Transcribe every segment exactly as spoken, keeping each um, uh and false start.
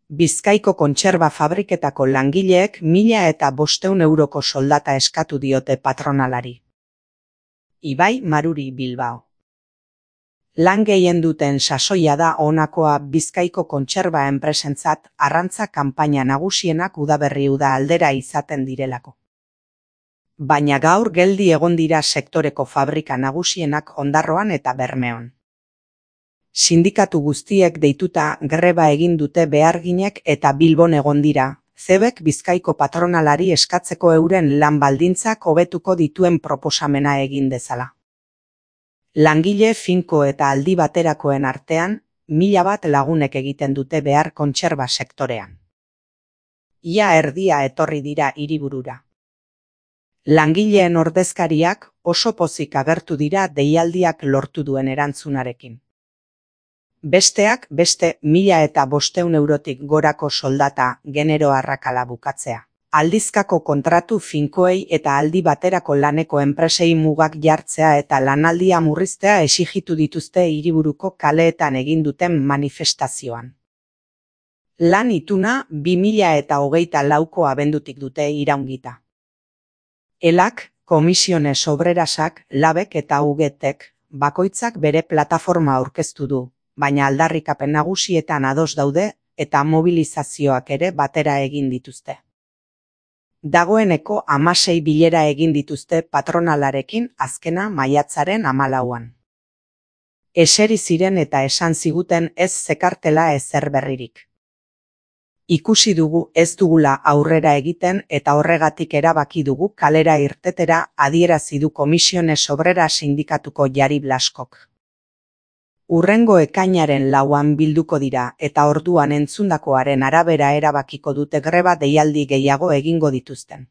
Bizkaiko kontserba fabriketako langileek mila eta bostehun euroko soldata eskatu diote patronalari. Ibai Maruri Bilbao. Lan gehien duten sasoia da honakoa Bizkaiko kontserba enpresentzat arrantza kanpaina nagusienak udaberri uda aldera izaten direlako. Baina gaur geldi egon dira sektoreko fabrika nagusienak Ondarroan eta Bermeon. Sindikatu guztiek deituta greba egin dute beharginek eta Bilbon egon dira, Cebek Bizkaiko patronalari eskatzeko euren lan baldintzak hobetuko dituen proposamena egin dezala. Langile finko eta aldi baterakoen artean, mila bat lagunek egiten dute behar kontserba sektorean. Ia erdia etorri dira hiriburura. Langileen ordezkariak oso pozik agertu dira deialdiak lortu duen erantzunarekin. Besteak beste mila eta bostehun eurotik gorako soldata genero arrakala bukatzea. Aldizkako kontratu finkoei eta aldi baterako laneko enpresei mugak jartzea eta lanaldia murriztea exigitu dituzte hiriburuko kaleetan egin duten manifestazioan. Lan ituna bi mila eta hogeita lauko abendutik dute iraungita. Elak, Komisiones Obrerasak, Labek eta Ugetek bakoitzak bere plataforma aurkeztu du, baina aldarrikapen nagusietan ados daude eta mobilizazioak ere batera egin dituzte. Dagoeneko hamasei bilera egin dituzte patronalarekin azkena maiatzaren hamalauan. Eseri ziren eta esan ziguten ez zekartela ezer berririk. Ikusi dugu ez dugula aurrera egiten eta horregatik erabaki dugu kalera irtetera adierazi du Komisiones Obrera sindikatuko Jari Blaskok. Urrengo ekainaren lauan bilduko dira eta orduan entzundakoaren arabera erabakiko dute greba deialdi gehiago egingo dituzten.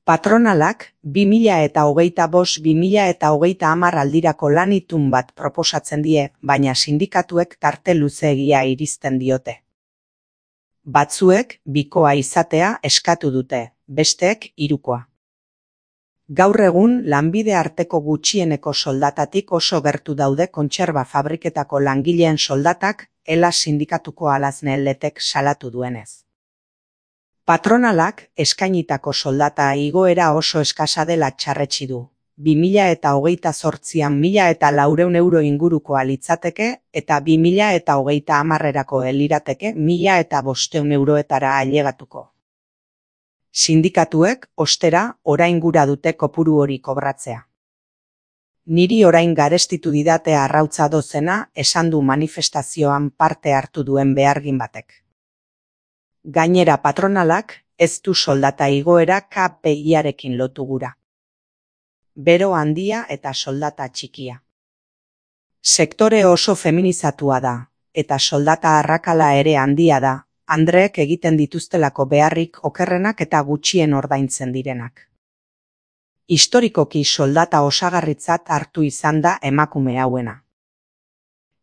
Patronalak bi mila eta hogeita bost bi mila eta hogeita hamar aldirako lan itun bat proposatzen die, baina sindikatuek tarte luzeegia iristen diote. Batzuek bikoa izatea eskatu dute, besteek hirukoa. Gaur egun lanbide arteko gutxieneko soldatatik oso gertu daude kontserba fabriketako langileen soldatak, Ela sindikatuko Alazne Letek salatu duenez. Patronalak eskainitako soldata igoera oso eskasa dela txarretsi du. bi mila eta hogeita zortzian mila eta laurehun euro ingurukoa litzateke eta bi mila eta hogeita hamarrerako elirateke mila eta bostehun euroetara ailegatuko. Sindikatuek, ostera, orain gura dute kopuru hori kobratzea. Niri orain garestitu didate arrautza dozena esan du manifestazioan parte hartu duen behargin batek. Gainera patronalak ez du soldata igoera K P I-arekin lotu gura. Bero handia eta soldata txikia. Sektore oso feminizatua da, eta soldata arrakala ere handia da, andreek egiten dituztelako beharrik okerrenak eta gutxien ordaintzen direnak. Historikoki soldata osagarritzat hartu izan da emakume hauena.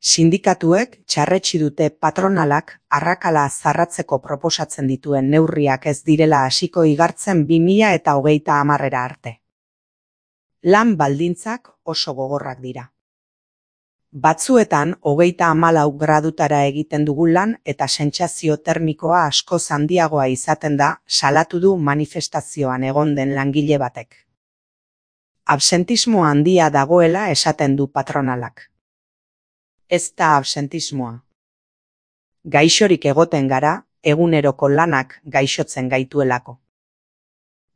Sindikatuek txarretsi dute patronalak arrakala zarratzeko proposatzen dituen neurriak ez direla hasiko igartzen bi mila eta hogeita hamarrera arte. Lan baldintzak oso gogorrak dira. Batzuetan hogeita hamalau gradutara egiten dugu lan eta sentsazio termikoa askoz handiagoa izaten da, salatu du manifestazioan egon den langile batek. Absentismo handia dagoela esaten du patronalak. Ez da absentismoa. Gaixorik egoten gara, eguneroko lanak gaixotzen gaituelako.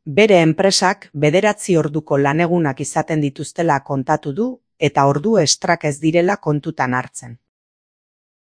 Bere enpresak bederatzi orduko lanegunak izaten dituztela kontatu du eta ordu estrak ez direla kontutan hartzen.